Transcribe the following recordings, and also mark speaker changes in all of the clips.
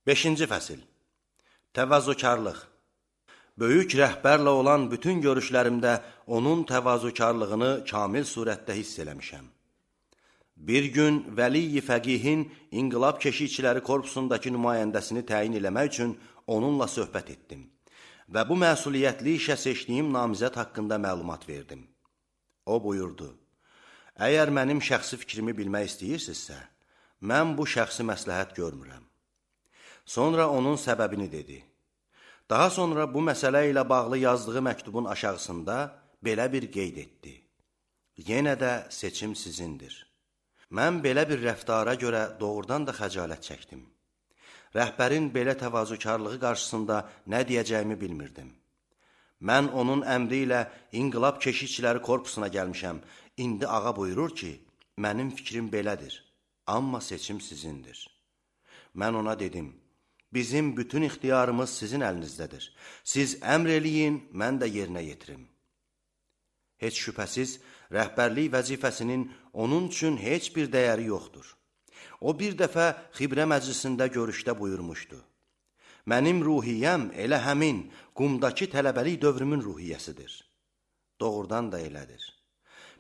Speaker 1: 5-ci fəsil. Təvazökarlıq. Böyük rəhbərlə olan bütün görüşlərimdə onun təvazökarlığını kamil surətdə hiss eləmişəm. Bir gün Vəli-i Fəqihin İnqilab Keşikçiləri Korpusundakı nümayəndəsini təyin eləmək üçün onunla söhbət etdim və bu məsuliyyətli işə seçdiyim namizəd haqqında məlumat verdim. O buyurdu, əgər mənim şəxsi fikrimi bilmək istəyirsinizsə, mən bu şəxsi məsləhət görmürəm. Sonra onun səbəbini dedi. Daha sonra bu məsələ ilə bağlı yazdığı məktubun aşağısında belə bir qeyd etdi. Yenə də seçim sizindir. Mən belə bir rəftara görə doğrudan da xəcalət çəkdim. Rəhbərin belə təvazökarlığı qarşısında nə deyəcəyimi bilmirdim. Mən onun əmri ilə İnqilab Keşikçiləri Korpusuna gəlmişəm. İndi ağa buyurur ki, mənim fikrim belədir, amma seçim sizindir. Mən ona dedim, bizim bütün ixtiyarımız sizin əlinizdədir. Siz əmr eləyin, mən də yerinə yetirim. Heç şübhəsiz, rəhbərlik vəzifəsinin onun üçün heç bir dəyəri yoxdur. O bir dəfə Xibrə məclisində görüşdə buyurmuşdu. Mənim ruhiyyəm elə həmin qumdakı tələbəlik dövrümün ruhiyyəsidir. Doğrudan da elədir.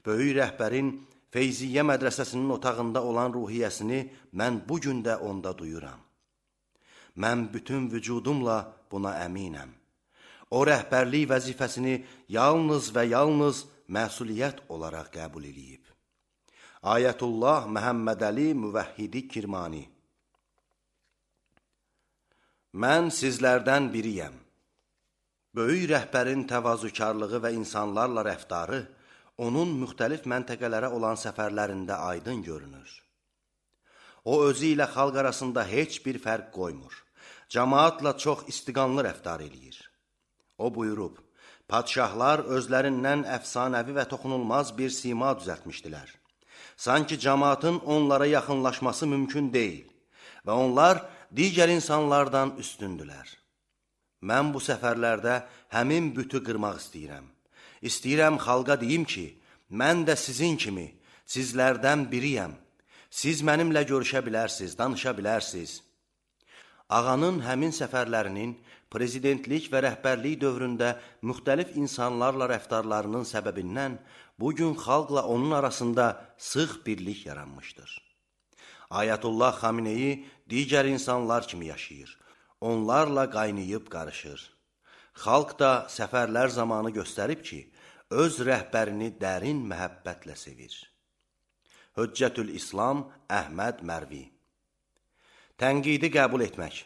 Speaker 1: Böyük rəhbərin Feyziyyə mədrəsəsinin otağında olan ruhiyyəsini mən bugün də onda duyuram. Mən bütün vücudumla buna əminəm. O rəhbərlik vəzifəsini yalnız və yalnız məsuliyyət olaraq qəbul edib. Ayətullah Məhəmməd Əli Müvəhhidi Kirmani. Mən sizlərdən biriyəm. Böyük rəhbərin təvazökarlığı və insanlarla rəftarı onun müxtəlif məntəqələrə olan səfərlərində aydın görünür. O özü ilə xalq arasında heç bir fərq qoymur. Cəmaatla çox istiqanlı rəftar eləyir. O buyurub, padşahlar özlərindən əfsanəvi və toxunulmaz bir sima düzəltmişdilər. Sanki cəmaatın onlara yaxınlaşması mümkün deyil və onlar digər insanlardan üstündülər. Mən bu səfərlərdə həmin bütü qırmaq istəyirəm. İstəyirəm xalqa deyim ki, mən də sizin kimi, sizlərdən biriyəm. Siz mənimlə görüşə bilərsiniz, danışa bilərsiniz. Ağanın həmin səfərlərinin prezidentlik və rəhbərlik dövründə müxtəlif insanlarla rəftarlarının səbəbindən bugün xalqla onun arasında sıx birlik yaranmışdır. Ayətullah Xameneyi digər insanlar kimi yaşayır. Onlarla qaynayıb qarışır. Xalq da səfərlər zamanı göstərib ki, öz rəhbərini dərin məhəbbətlə sevir. Hüccətül İslam Əhməd Mərvi. Tənqidi qəbul etmək.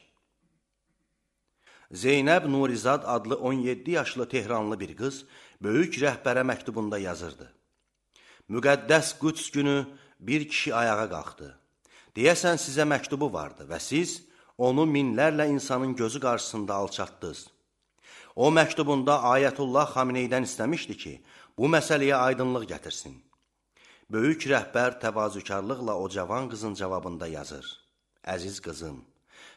Speaker 1: Zeynəb Nurizad adlı 17 yaşlı Tehranlı bir qız böyük rəhbərə məktubunda yazırdı. Müqəddəs Qüds günü bir kişi ayağa qalxdı. Deyəsən sizə məktubu vardı və siz onu minlərlə insanın gözü qarşısında alçatdınız. O məktubunda Ayətullah Xameneydən istəmişdi ki, bu məsələyə aydınlıq gətirsin. Böyük rəhbər təvazökarlıqla o cavan qızın cavabında yazır. Əziz qızım,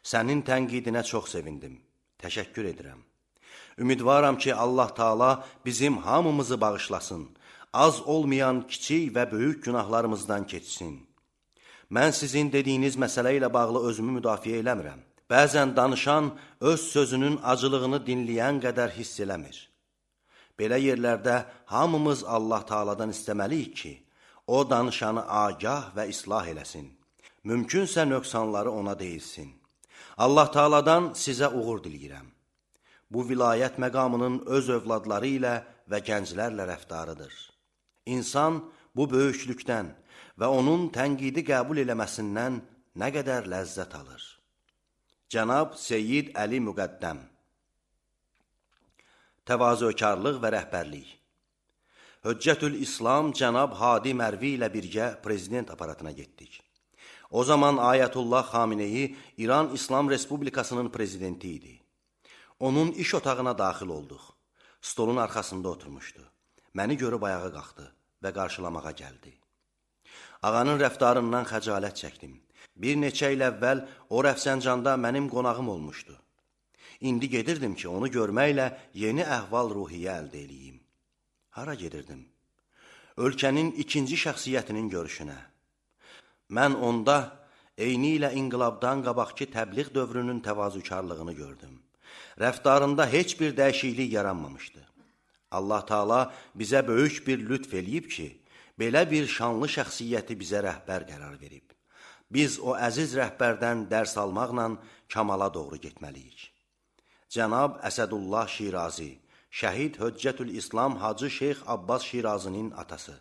Speaker 1: sənin tənqidinə çox sevindim. Təşəkkür edirəm. Ümidvaram ki, Allah Taala bizim hamımızı bağışlasın. Az olmayan kiçik və böyük günahlarımızdan keçsin. Mən sizin dediyiniz məsələ ilə bağlı özümü müdafiə eləmirəm. Bəzən danışan öz sözünün acılığını dinləyən qədər hiss eləmir. Belə yerlərdə hamımız Allah Taala'dan istəməliyik ki, o danışanı agah və islah eləsin. Mümkünsə nöqsanları ona deyilsin. Allah Taala'dan sizə uğur diləyirəm. Bu vilayət məqamının öz övladları ilə və gənclərlə rəftarıdır. İnsan bu böyüklükdən və onun tənqidi qəbul eləməsindən nə qədər ləzzət alır. Cənab Seyyid Əli Müqəddəm. Təvazökarlıq və rəhbərlik. Hüccətül İslam Cənab Hadi Mərvi ilə birgə prezident aparatına getdik. O zaman Ayətullah Xameneyi İran İslam Respublikasının prezidenti idi. Onun iş otağına daxil olduq. Stolun arxasında oturmuşdu. Məni görüb ayağa qalxdı və qarşılamağa gəldi. Ağanın rəftarından xəcalət çəkdim. Bir neçə il əvvəl o Rəfsəncanda mənim qonağım olmuşdu. İndi gedirdim ki, onu görməklə yeni əhval-ruhiyyə əldə eləyim. Hara gedirdim? Ölkənin ikinci şəxsiyyətinin görüşünə. Mən onda eyni ilə inqilabdan qabaqki təbliğ dövrünün təvazökarlığını gördüm. Rəftarında heç bir dəyişiklik yaranmamışdı. Allah Taala bizə böyük bir lütf eləyib ki, belə bir şanlı şəxsiyyəti bizə rəhbər qərar verib. Biz o əziz rəhbərdən dərs almaqla kamala doğru getməliyik. Cənab Əsədullah Şirazi, Şəhid Höccətül İslam Hacı Şeyx Abbas Şirazinin atası.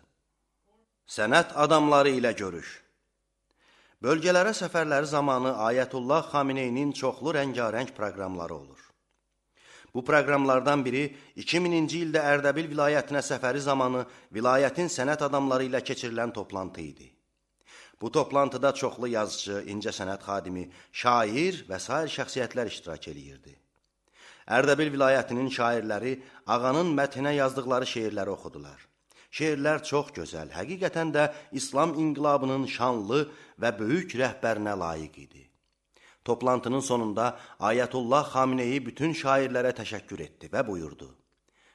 Speaker 1: Sənət adamları ilə görüş. Bölgələrə səfərləri zamanı Ayətullah Xameneyinin çoxlu rəngarəng proqramları olur. Bu proqramlardan biri 2000-ci ildə Ərdəbil vilayətinə səfəri zamanı vilayətin sənət adamları ilə keçirilən toplantı idi. Bu toplantıda çoxlu yazıcı, incəsənət xadimi, şair və sair şəxsiyyətlər iştirak edirdi. Ərdəbil vilayətinin şairləri ağanın məthinə yazdıqları şeirləri oxudular. Şeirlər çox gözəl, həqiqətən də İslam inqilabının şanlı və böyük rəhbərinə layiq idi. Toplantının sonunda Ayətullah Xameneyi bütün şairlərə təşəkkür etdi və buyurdu.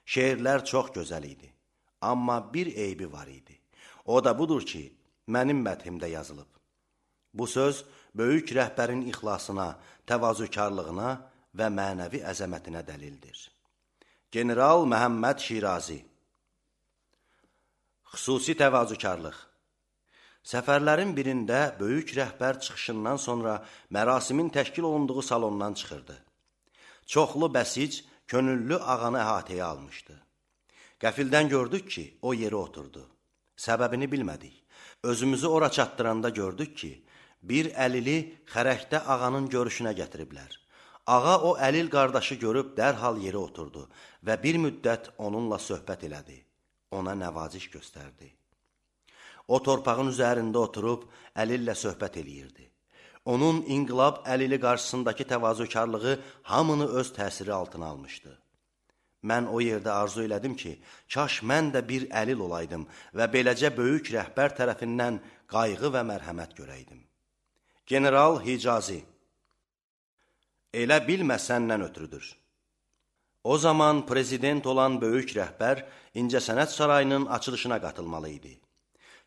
Speaker 1: Şeirlər çox gözəl idi, amma bir eybi var idi. O da budur ki, mənim məthimdə yazılıb. Bu söz böyük rəhbərin ixlasına, təvazökarlığına və mənəvi əzəmətinə dəlildir. General Məhəmməd Şirazi. Xüsusi təvazökarlıq. Səfərlərin birində böyük rəhbər çıxışından sonra mərasimin təşkil olunduğu salondan çıxırdı. Çoxlu bəsic, könüllü ağanı əhatəyə almışdı. Qəfildən gördük ki, o yeri oturdu. Səbəbini bilmədik. Özümüzü ora çatdıranda gördük ki, bir əlili xərəkdə ağanın görüşünə gətiriblər. Ağa o əlil qardaşı görüb dərhal yeri oturdu və bir müddət onunla söhbət elədi. Ona nəvaziş göstərdi. O torpağın üzərində oturub əlillə söhbət eləyirdi. Onun inqilab əlili qarşısındakı təvazökarlığı hamını öz təsiri altına almışdı. Mən o yerdə arzu elədim ki, kaş mən də bir əlil olaydım və beləcə böyük rəhbər tərəfindən qayğı və mərhəmət görəydim. General Hicazi. Elə bilmə səndən ötürüdür. O zaman prezident olan böyük rəhbər İncəsənət Sarayının açılışına qatılmalı idi.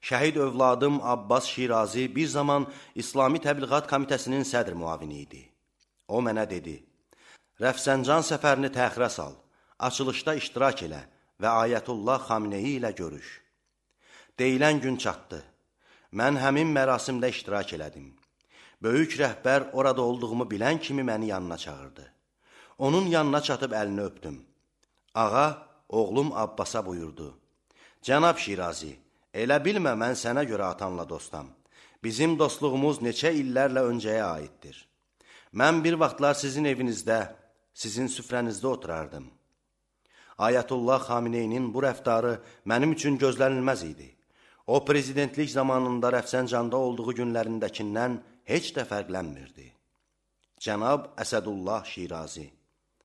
Speaker 1: Şəhid övladım Abbas Şirazi bir zaman İslami Təbliğat Komitəsinin sədr müavini idi. O mənə dedi, Rəfsəncan səfərini təxirə sal, açılışda iştirak elə və Ayətullah Xameneyi ilə görüş. Deyilən gün çatdı. Mən həmin mərasimdə iştirak elədim. Böyük rəhbər orada olduğumu bilən kimi məni yanına çağırdı. Onun yanına çatıb əlini öpdüm. Ağa, oğlum Abbasa buyurdu. Cənab Şirazi, elə bilmə mən sənə görə atanla dostam. Bizim dostluğumuz neçə illərlə öncəyə aiddir. Mən bir vaxtlar sizin evinizdə, sizin süfrənizdə oturardım. Ayətullah Xameneyinin bu rəftarı mənim üçün gözlənilməz idi. O, prezidentlik zamanında Rəfsəncanda olduğu günlərindəkindən heç də fərqlənmirdi. Cənab Əsədullah Şirazi.